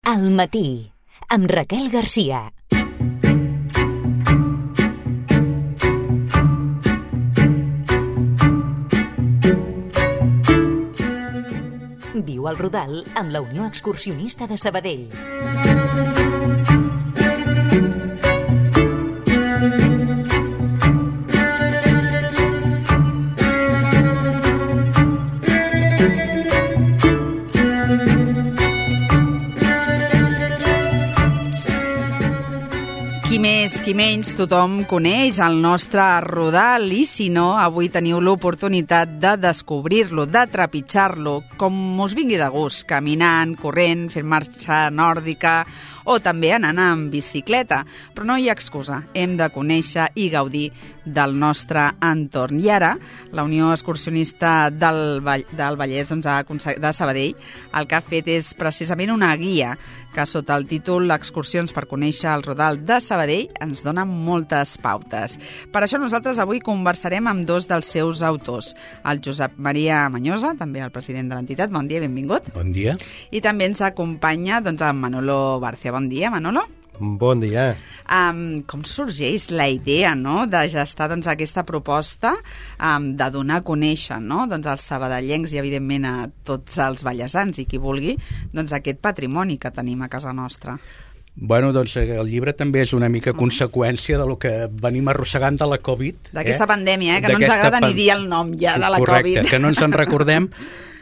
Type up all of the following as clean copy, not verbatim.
Al matí, amb Raquel Garcia. Viu al Rodal amb la Unió Excursionista de Sabadell. Qui menys, tothom coneix el nostre Rodal i, si no, avui teniu l'oportunitat de descobrir-lo, de trepitjar-lo, com us vingui de gust, caminant, corrent, fent marxa nòrdica o també anant en bicicleta. Però no hi ha excusa, hem de conèixer i gaudir del nostre entorn. I ara, la Unió Excursionista del Vallès de Sabadell el que ha fet és precisament una guia que sota el títol Excursions per conèixer el Rodal de Sabadell ens dona moltes pautes. Per això nosaltres avui conversarem amb dos dels seus autors, el Josep Maria Mañosa, també el president de l'entitat. Bon dia, benvingut. Bon dia. I també ens acompanya en Manolo Barcia. Bon dia, Manolo. Bon dia. Com sorgeix la idea, no?, de gestar aquesta proposta de donar a conèixer, no?, als sabadellencs i evidentment a tots els vallesans i qui vulgui aquest patrimoni que tenim a casa nostra? Bueno, doncs el llibre també és una mica conseqüència de lo que venim arrossegant de la Covid. D'aquesta pandèmia, que no ens agrada ni dir el nom ja de la Covid. Correcte, que no ens en recordem,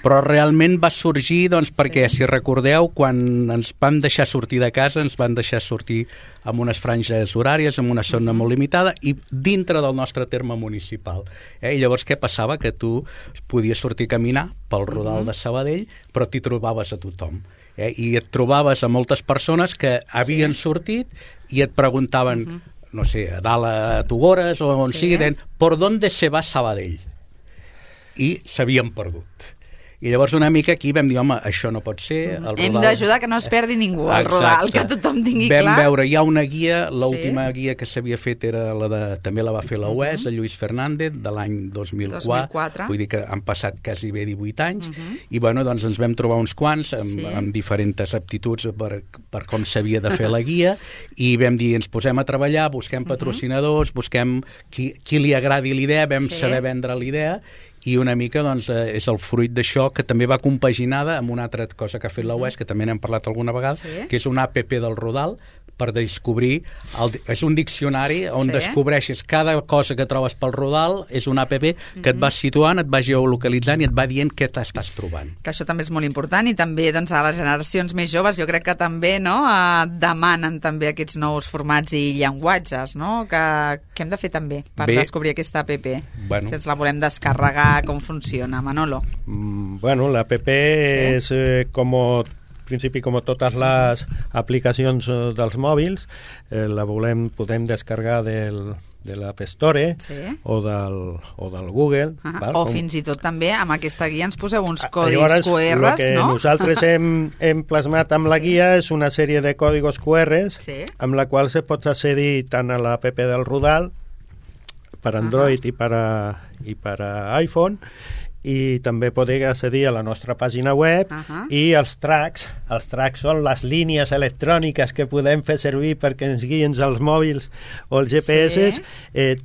però realment va sorgir perquè, si recordeu, quan ens van deixar sortir de casa, ens van deixar sortir amb unes franges horàries, amb una zona molt limitada i dintre del nostre terme municipal. I llavors què passava? Que tu podies sortir a caminar pel Rodal de Sabadell, però t'hi trobaves a tothom. I et trobaves a moltes persones que havien sortit i et preguntaven, no sé, a dalt a Tugores o on sigui, ¿por dónde se va Sabadell? I s'havien perdut. I llavors una mica aquí vam dir, home, això no pot ser. Hem d'ajudar que no es perdi ningú al Rodal, que tothom tingui clar. Vam veure, hi ha una guia, l'última guia que s'havia fet era també la va fer la UES, el Lluís Fernández, de l'any 2004. Vull dir que han passat quasi bé 18 anys. I bueno, doncs ens vam trobar uns quants amb diferents aptituds per com s'havia de fer la guia i vam dir, ens posem a treballar, busquem patrocinadors, busquem qui li agradi l'idea, vam saber vendre l'idea. I una mica doncs, és el fruit d'això que també va compaginada amb una altra cosa que ha fet la UES, que també n'hem parlat alguna vegada, que és una app del Rodal per descobrir, és un diccionari on descobreixes cada cosa que trobes pel Rodal, és una app que et va situant, et va geolocalitzant i et va dient què t'estàs trobant. Que això també és molt important i també a les generacions més joves jo crec que també demanen també aquests nous formats i llenguatges, no? Que hem de fer també per descobrir aquesta app. Si ens la volem descarregar, com funciona, Manolo? Bueno, la app és principi, com totes les aplicacions dels mòbils, podem descarregar de l'App Store o del Google. O fins i tot també amb aquesta guia ens poseu uns codis QR, no? El que nosaltres hem plasmat amb la guia és una sèrie de còdigos QR amb la qual se pot accedir tant a l'App del Rodal per Android i per iPhone, i també poder accedir a la nostra pàgina web i els tracks són les línies electròniques que podem fer servir perquè ens guien els mòbils o els GPS,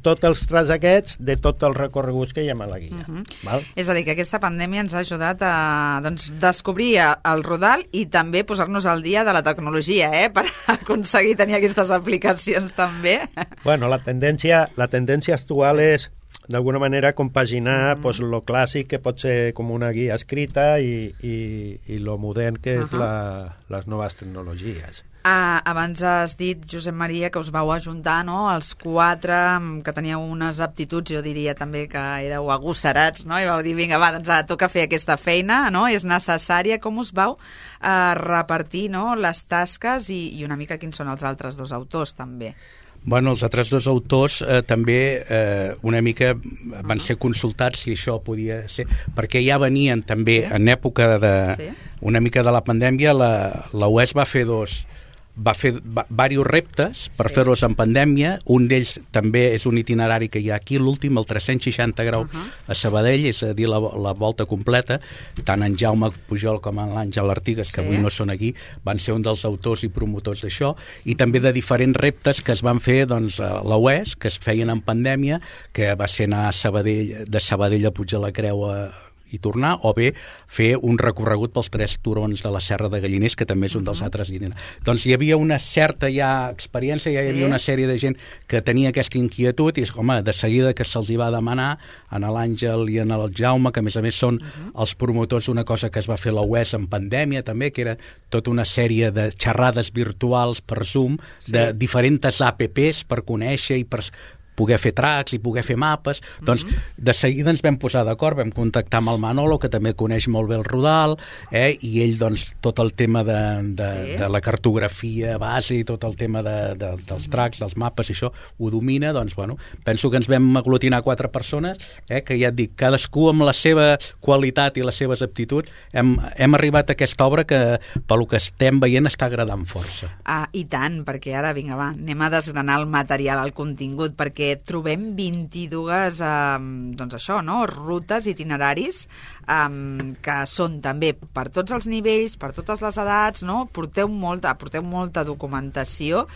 tots els tracks aquests de tots els recorreguts que hi ha a la guia. És a dir, que aquesta pandèmia ens ha ajudat a descobrir el Rodal i també posar-nos al dia de la tecnologia, per aconseguir tenir aquestes aplicacions també. Bueno, la tendència actual és d'alguna manera compaginar lo clàssic, que pot ser com una guia escrita, i lo modern, que és les noves tecnologies. Abans has dit, Josep Maria, que us vau ajuntar, no?, els quatre que teníeu unes aptituds, jo diria també que éreu agosserats, no?, i vau dir, vinga, doncs toca fer aquesta feina, no?, és necessària. Com us vau repartir, no?, les tasques i una mica quins són els altres dos autors, també? Bueno, els altres dos autors també una mica van ser consultats si això podia ser, perquè ja venien també en època una mica de la pandèmia. La UES va fer va fer diversos reptes per fer-los en pandèmia. Un d'ells també és un itinerari que hi ha aquí, l'últim, el 360 graus a Sabadell, és a dir, la volta completa. Tant en Jaume Pujol com en l'Àngel Artigas, que avui no són aquí, van ser un dels autors i promotors d'això, i també de diferents reptes que es van fer a la UES, que es feien en pandèmia, que va ser anar de Sabadell a Puig de la Creu i tornar, o bé fer un recorregut pels 3 turons de la Serra de Galliners, que també és un dels altres itineraris. Doncs hi havia una certa experiència, hi havia una sèrie de gent que tenia aquesta inquietud, i home, de seguida que se'ls hi va demanar a l'Àngel i a el Jaume, que a més són els promotors d'una cosa que es va fer a la UES en pandèmia també, que era tota una sèrie de xerrades virtuals per Zoom, de diferents apps per conèixer i per poder fer tracks i poder fer mapes. Doncs de seguida ens vam posar d'acord, vam contactar amb el Manolo, que també coneix molt bé el Rodal, i ell, doncs, tot el tema de la cartografia base i tot el tema dels tracks, dels mapes, i això ho domina. Doncs, bueno, penso que ens vam aglutinar 4 persones, que ja et dic, cadascú amb la seva qualitat i les seves aptituds, hem arribat a aquesta obra que, pel que estem veient, està agradant força. I tant, perquè ara, vinga, va, anem a desgranar el material, el contingut, perquè trobem 22 doncs això, no? Rutes, itineraris que són també per tots els nivells, per totes les edats, no? Porteu molta documentació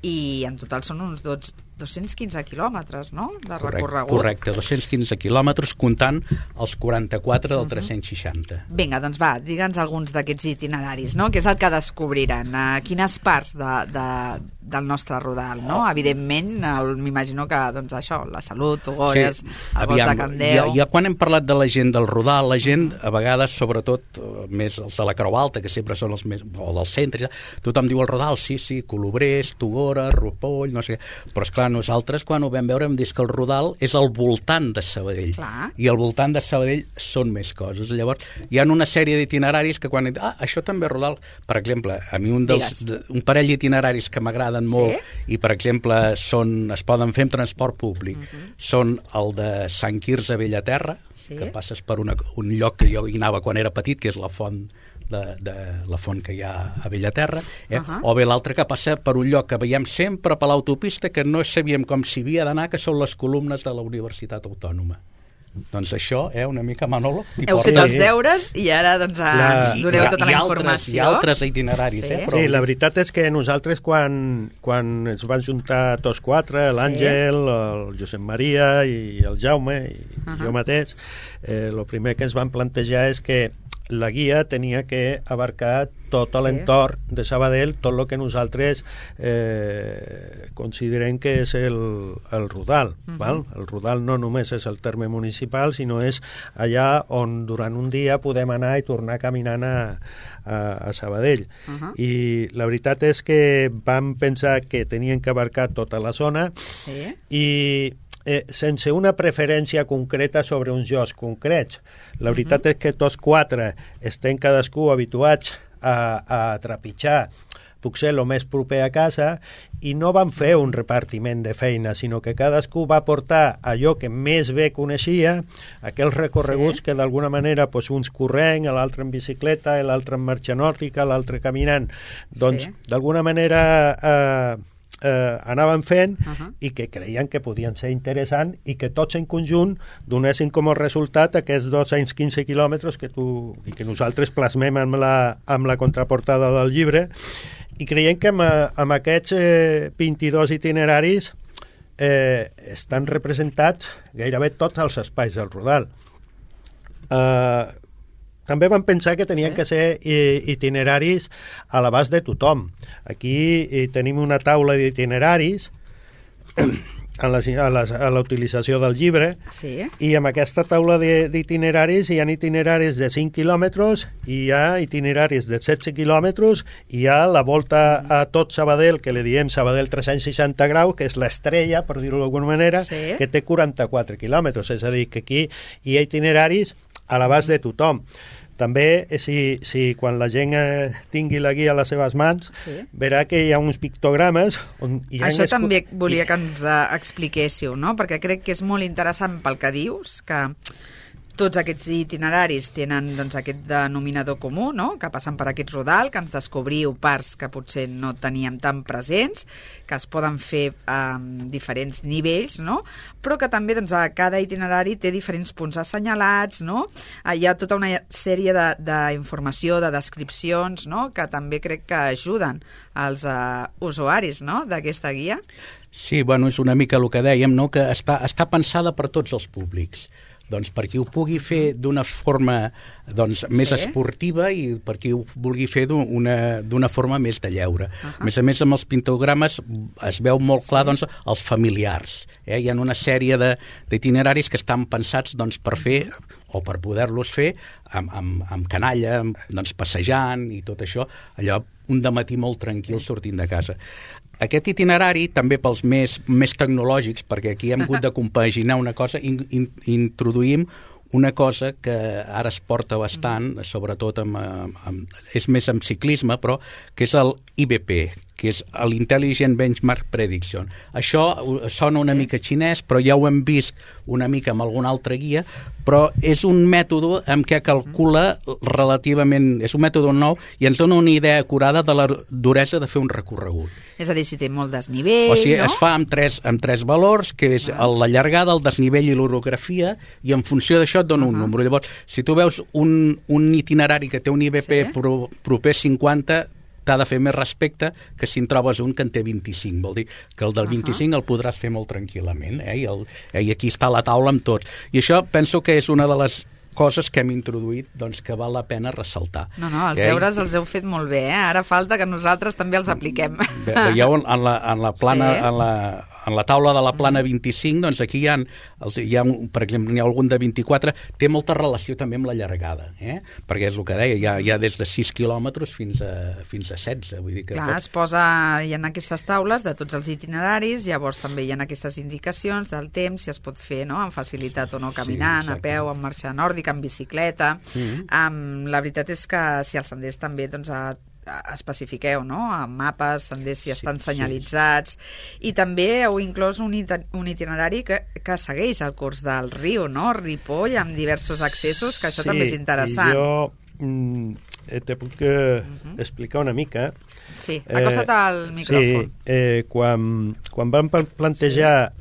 i en total són uns 215 quilòmetres, no?, de recorregut. Correcte, 215 quilòmetres, comptant els 44 del 360. Vinga, doncs va, digue'ns alguns d'aquests itineraris, no?, què és el que descobriran, quines parts del nostre Rodal, no? Evidentment, m'imagino que, doncs això, la Salut, Togolles, el Bosc de Candeu... Ja quan hem parlat de la gent del Rodal, la gent, a vegades, sobretot, més els de la Creu Alta, que sempre són els més... o del centre, tothom diu el Rodal, sí, Colobrers, Togora, Ripoll, no sé... Però, esclar, nosaltres, quan ho vam veure, hem dit que el Rodal és al voltant de Sabadell. Clar. I al voltant de Sabadell són més coses. Llavors, hi ha una sèrie d'itineraris que quan... això també és Rodal. Per exemple, a mi un parell d'itineraris que m'agraden molt i, per exemple, es poden fer amb transport públic. Són el de Sant Quirze a Bellaterra, que passes per un lloc que jo hi anava quan era petit, que és la font la font que hi ha a Bellaterra, o bé l'altre que passa per un lloc que veiem sempre per l'autopista, que no sabíem com s'hi havia d'anar, que són les columnes de la Universitat Autònoma. Doncs això, una mica, Manolo... Heu fet els deures i ara ens doneu tota la informació. Hi ha altres itineraris, però... Sí, la veritat és que nosaltres, quan ens van juntar tots 4, l'Àngel, el Josep Maria i el Jaume, i jo mateix, el primer que ens van plantejar és que la guia tenia que abarcar tot l'entorn de Sabadell, tot el que nosaltres considerem que és el Rodal. Val? El Rodal no només és el terme municipal, sinó és allà on durant un dia podem anar i tornar caminant a Sabadell. I la veritat és que vam pensar que tenien que abarcar tota la zona i sense una preferència concreta sobre uns llocs concrets. La veritat és que tots 4 estem cadascú habituats a trepitjar potser el més proper a casa i no van fer un repartiment de feina, sinó que cadascú va portar allò que més bé coneixia, aquells recorreguts que d'alguna manera uns corrent, l'altre en bicicleta, l'altre en marxa nòrdica, l'altre caminant. Doncs d'alguna manera... anaven fent i que creien que podien ser interessants i que tots en conjunt donessin com a resultat aquests 215 quilòmetres que nosaltres plasmem amb la contraportada del llibre, i creiem que amb aquests 22 itineraris estan representats gairebé tots els espais del Rodal. També vam pensar que tenien que ser itineraris a l'abast de tothom. Aquí tenim una taula d'itineraris a la utilització del llibre, i amb aquesta taula d'itineraris hi ha itineraris de 5 quilòmetres, hi ha itineraris de 16 quilòmetres, hi ha la volta a tot Sabadell, que li diem Sabadell 360 graus, que és l'estrella, per dir-ho d'alguna manera, que té 44 quilòmetres. És a dir, que aquí hi ha itineraris a l'abast de tothom. També, si quan la gent tingui la guia a les seves mans, verà que hi ha uns pictogrames on hi ha... Això també volia que ens expliquéssiu, no? Perquè crec que és molt interessant pel que dius, que Tots aquests itineraris tenen doncs, aquest denominador comú, no? Que passen per aquest rodal, que ens descobriu parts que potser no teníem tan presents, que es poden fer a diferents nivells, no? Però que també doncs, a cada itinerari té diferents punts assenyalats, no? Hi ha tota una sèrie d'informació, de descripcions, no? Que també crec que ajuden als usuaris, no? D'aquesta guia. Sí, bueno, és una mica el que dèiem, no? Que està pensada per tots els públics. Doncs per qui ho pugui fer d'una forma més esportiva i per qui ho vulgui fer d'una forma més de lleure. A més, amb els pintogrames es veu molt clar els familiars. Hi ha una sèrie d'itineraris que estan pensats per fer o per poder-los fer amb canalla, passejant i tot això, allò un dematí molt tranquil sortint de casa. Aquest itinerari, també pels més tecnològics, perquè aquí hem hagut de compaginar una cosa, introduïm una cosa que ara es porta bastant, sobretot és més amb ciclisme, però que és el IBP, que és l'Intelligent Benchmark Prediction. Això sona una mica xinès, però ja ho hem vist una mica amb alguna altra guia, però és un mètode en què calcula relativament, és un mètode nou i ens dona una idea acurada de la duresa de fer un recorregut. És a dir, si té molt desnivell, o sigui, es fa amb tres valors, que és la llargada, el desnivell i l'orografia, i en funció d'això et dona un número. Llavors, si tu veus un itinerari que té un IBP proper 50, t'ha de fer més respecte que si en trobes un que en té 25. Vol dir que el del 25 el podràs fer molt tranquil·lament. I aquí està la taula amb tots. I això penso que és una de les coses que hem introduït que val la pena ressaltar. No, els deures els heu fet molt bé, Ara falta que nosaltres també els apliquem. Veieu en la plana, en la taula de la plana 25, doncs aquí hi ha per exemple, n'hi ha algun de 24, té molta relació també amb la llargada, perquè és el que deia, hi ha des de 6 quilòmetres fins a 16. Vull dir que clar, es posa, hi ha aquestes taules de tots els itineraris, llavors també hi ha aquestes indicacions del temps, si es pot fer amb facilitat o no, caminant, a peu, amb marxa nòrdica, amb bicicleta. La veritat és que si els senders també especifiqueu, amb mapes, senders si estan senyalitzats, i també heu inclòs un itinerari que segueix el curs del riu, Ripoll, amb diversos accessos, que això també és interessant. Jo te puc explicar una mica. Sí, acosta't al micròfon. Sí, quan vam plantejar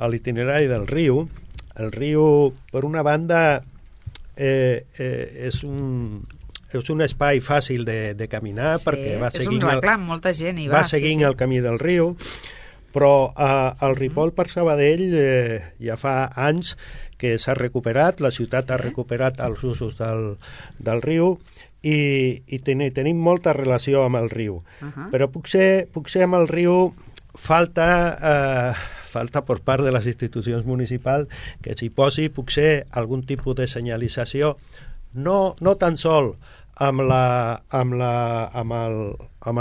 l'itinerari del riu, el riu, per una banda, és un espai fàcil de caminar, perquè va seguint, és un reclam, molta gent hi va seguint el camí del riu, però el Ripoll per Sabadell ja fa anys que s'ha recuperat, la ciutat ha recuperat els usos del riu i tenim molta relació amb el riu. Però potser amb el riu falta per part de les institucions municipals que s'hi posi potser algun tipus de senyalització, no tan sol amb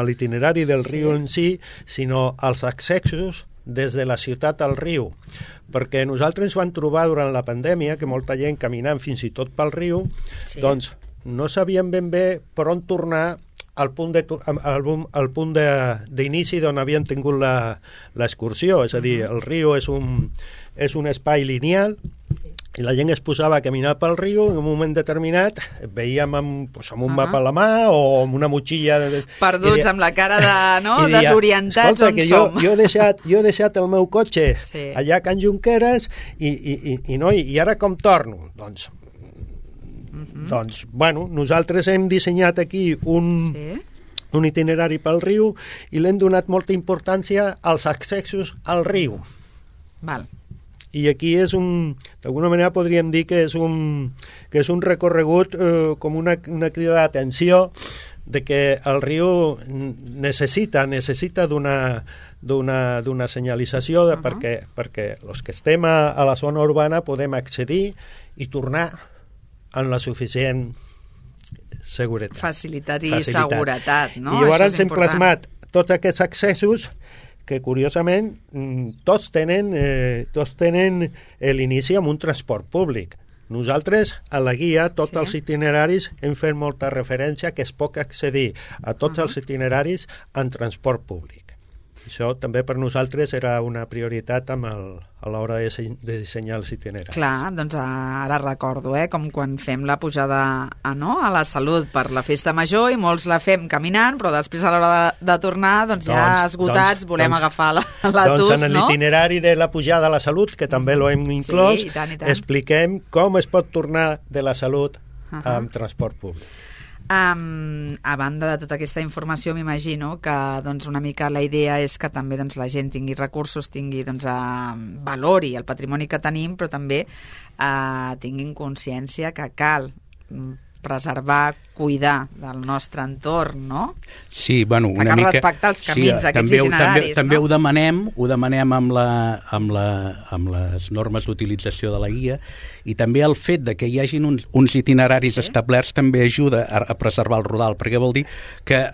l'itinerari del riu en si, sinó els accessos des de la ciutat al riu, perquè nosaltres ens vam trobar durant la pandèmia que molta gent caminant fins i tot pel riu, doncs no sabíem ben bé per on tornar al punt d'inici d'on havien tingut l'excursió, és a dir, el riu és un espai lineal i la gent es posava a caminar pel riu i en un moment determinat veiem amb un mapa a la mà o amb una motxilla perduts amb la cara desorientats on som. Jo he deixat el meu cotxe allà a Can Junqueras i ara com torno? Doncs, bueno, nosaltres hem dissenyat aquí un itinerari pel riu i l'hem donat molta importància als accessos al riu. Val. I aquí d'alguna manera podríem dir que és un recorregut com una crida d'atenció de que el riu necessita d'una senyalització perquè els que estem a la zona urbana podem accedir i tornar en la suficient seguretat. Facilitat i seguretat, no? I llavors hem plasmat tots aquests accessos que curiosament tots tenen l'inici amb un transport públic. Nosaltres, a la guia, tots els itineraris hem fet molta referència que es pot accedir a tots els itineraris en transport públic. Això també per nosaltres era una prioritat a l'hora de dissenyar els itineraris. Clar, doncs ara recordo, com quan fem la pujada a la Salut per la festa major i molts la fem caminant, però després a l'hora de tornar, doncs ja esgotats, volem agafar l'autobús, en l'itinerari de la pujada a la Salut, que també l'hem inclòs, i tant. Expliquem com es pot tornar de la Salut amb transport públic. A banda de tota aquesta informació, m'imagino que doncs, una mica la idea és que també doncs, la gent tingui recursos, tingui valori el patrimoni que tenim, però també tinguin consciència que cal preservar, cuidar del nostre entorn, no? Sí, bueno, una cal mica... respectar els camins, aquests itineraris, també ho demanem amb les normes d'utilització de la guia, i també el fet de que hi hagin uns itineraris establerts també ajuda a preservar el rodal, perquè vol dir que...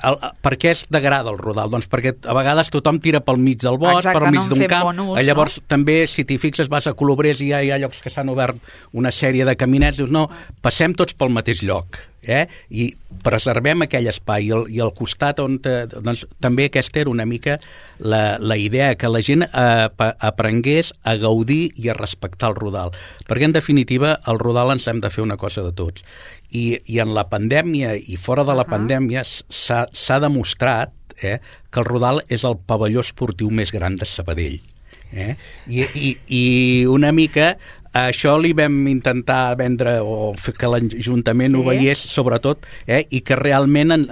Per què es degrada el rodal? Doncs perquè a vegades tothom tira pel mig del bosc, pel mig d'un camp, llavors també, si t'hi fixes, vas a Colobrers i hi ha llocs que s'han obert una sèrie de caminets, dius, no, passem tots pel mateix lloc, i preservem aquell espai, i al costat on doncs, també aquesta era una mica la idea, que la gent aprengués a gaudir i a respectar el rodal, perquè en definitiva el rodal ens hem de fer una cosa de tots, i en la pandèmia i fora de la pandèmia s'ha demostrat que el rodal és el pavelló esportiu més gran de Sabadell, i una mica això li vam intentar vendre, o fer que l'Ajuntament ho veiés, sobretot, i que realment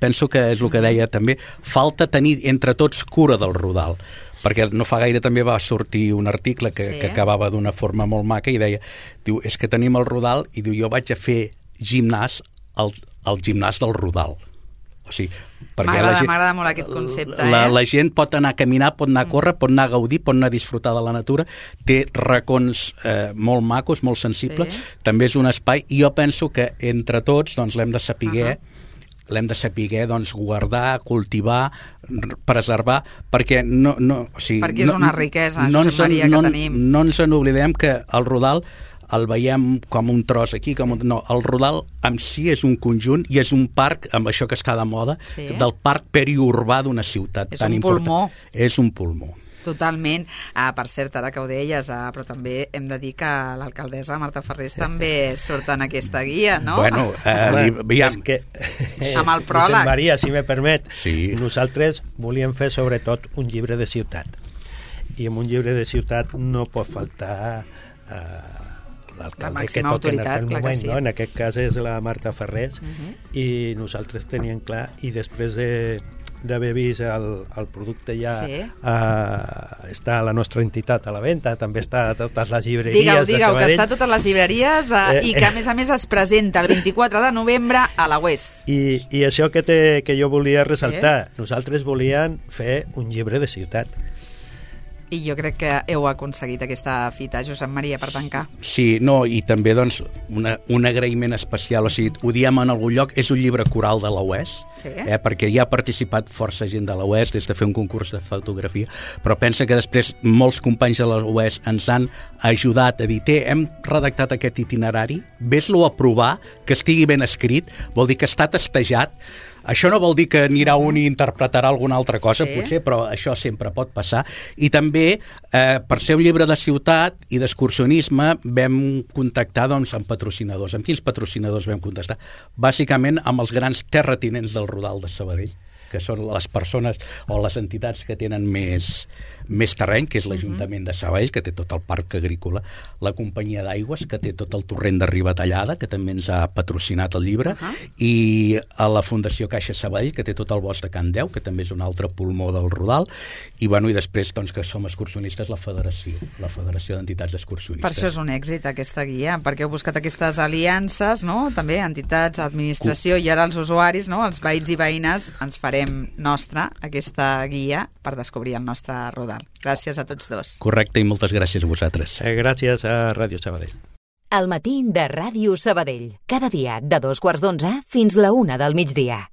penso que és el que deia també, falta tenir entre tots cura del rodal, perquè no fa gaire també va sortir un article que acabava d'una forma molt maca i deia, diu, és que tenim el rodal, i diu, jo vaig a fer gimnàs al gimnàs del rodal. O sigui, m'agrada molt aquest concepte. La gent pot anar a caminar, pot anar a córrer, pot anar a gaudir, pot anar a disfrutar de la natura, té racons molt macos, molt sensibles, també és un espai, i jo penso que entre tots doncs, l'hem de saber doncs, guardar, cultivar, preservar, perquè perquè és una riquesa, Josep Maria, que tenim. No ens n'oblidem que el rodal el veiem com un tros aquí, no, el rodal en si és un conjunt i és un parc, amb això que està de moda, del parc periurbà d'una ciutat tan important. És un pulmó. Totalment. Per cert, ara que ho deies, però també hem de dir que l'alcaldessa Marta Ferrés també surt en aquesta guia, no? Bueno, és que... amb el pròleg. Josep Maria, si me permet, nosaltres volíem fer sobretot un llibre de ciutat. I en un llibre de ciutat no pot faltar l'alcalde que toca en aquell moment, no? En aquest cas és la Marta Ferrés, i nosaltres teníem clar, i després d'haver vist el producte ja està a la nostra entitat a la venda, també està a totes les llibreries de Sabadell. Que està a totes les llibreries i que a més es presenta el 24 de novembre a la UES. I això que jo volia ressaltar, nosaltres volíem fer un llibre de ciutat. I jo crec que heu aconseguit aquesta fita, Josep Maria, per tancar. Sí, no, i també doncs un agraïment especial, o sigui, ho diem en algun lloc, és un llibre coral de la UES, perquè hi ha participat força gent de la UES des de fer un concurs de fotografia, però pensa que després molts companys de la UES ens han ajudat a dir, hem redactat aquest itinerari, ves-lo a provar, que estigui ben escrit, vol dir que està testejat. Això no vol dir que anirà un i interpretarà alguna altra cosa, potser, però això sempre pot passar. I també, per ser un llibre de ciutat i d'excursionisme, vam contactar doncs, amb patrocinadors. Amb quins patrocinadors vam contactar? Bàsicament amb els grans terratinents del Rodal de Sabadell, que són les persones o les entitats que tenen més terreny, que és l'Ajuntament de Sabadell, que té tot el parc agrícola, la companyia d'aigües, que té tot el torrent de Ribatallada, que també ens ha patrocinat el llibre, i a la Fundació Caixa Sabadell, que té tot el bosc de Can Deu, que també és un altre pulmó del Rodal, i després doncs, que som excursionistes, la Federació d'Entitats d'Excursionistes. Per això és un èxit aquesta guia, perquè heu buscat aquestes aliances, no? També entitats, administració, i ara els usuaris, no? Els veïns i veïnes, ens farem nostra aquesta guia per descobrir el nostre Rodal. Gràcies a tots dos. Correcte, i moltes gràcies a vosaltres. Gràcies a Ràdio Sabadell. El matí de Ràdio Sabadell. Cada dia de 2:15 fins la 1 del migdia.